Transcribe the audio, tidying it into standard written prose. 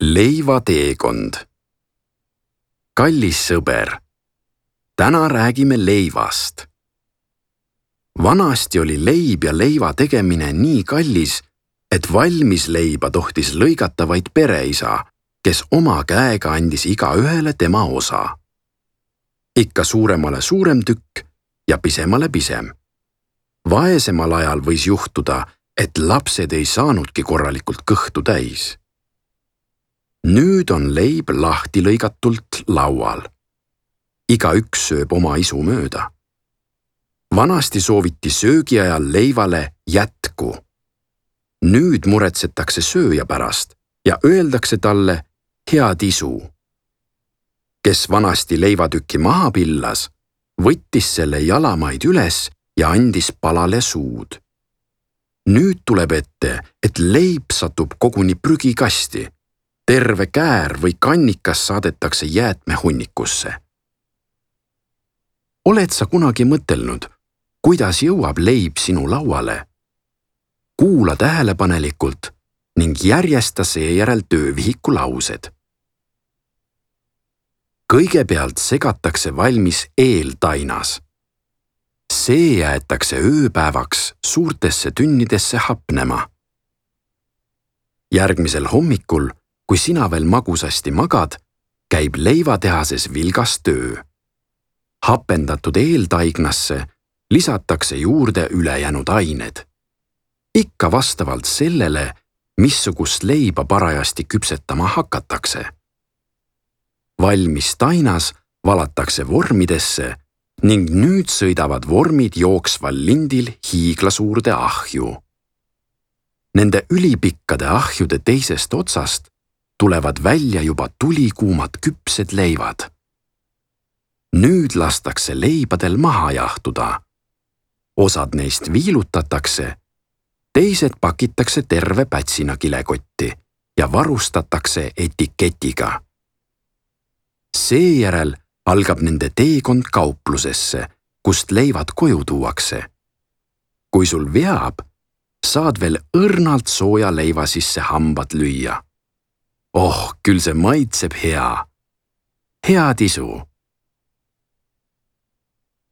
Leivateekond. Kallis sõber, täna räägime leivast. Vanasti oli leib ja leiva tegemine nii kallis, et valmis leiba tohtis lõigata vaid pereisa, kes oma käega andis igaühele tema osa. Ikka suuremale suurem tükk ja pisemale pisem. Vaesemal ajal võis juhtuda, et lapsed ei saanudki korralikult kõhtu täis. Nüüd on leib lahti lõigatult laual. Igaüks sööb oma isu mööda. Vanasti sooviti söögi ajal leivale jätku. Nüüd muretsetakse sööja pärast ja öeldakse talle head isu. Kes vanasti leivatükki maha pillas, võttis selle jalamaid üles ja andis palale suud. Nüüd tuleb ette, et leib satub koguni prügikasti. Terve käär või kannikas saadetakse jäätmehunnikusse. Oled sa kunagi mõtelnud, kuidas jõuab leib sinu lauale? Kuula tähelepanelikult ning järjesta seejärel töövihiku laused. Kõigepealt segatakse valmis eeltainas. See jäetakse ööpäevaks suurtesse tünnidesse hapnema. Järgmisel hommikul, kui sina veel magusasti magad, käib leivatehases vilgas töö. Hapendatud eeltaignasse lisatakse juurde ülejäänud ained. Ikka vastavalt sellele, missugust leiba parajasti küpsetama hakatakse. Valmis tainas valatakse vormidesse ning nüüd sõidavad vormid jooksval lindil hiiglasuurde ahju. Nende ülipikkade ahjude teisest otsast tulevad välja juba tulikuumad küpsed leivad. Nüüd lastakse leibadel maha jahtuda. Osad neist viilutatakse, teised pakitakse terve pätsina kilekotti ja varustatakse etiketiga. Seejärel algab nende teekond kauplusesse, kust leivad koju tuuakse. Kui sul veab, saad veel õrnalt sooja leiva sisse hambad lüüa. Oh, küll see maitseb hea. Head isu!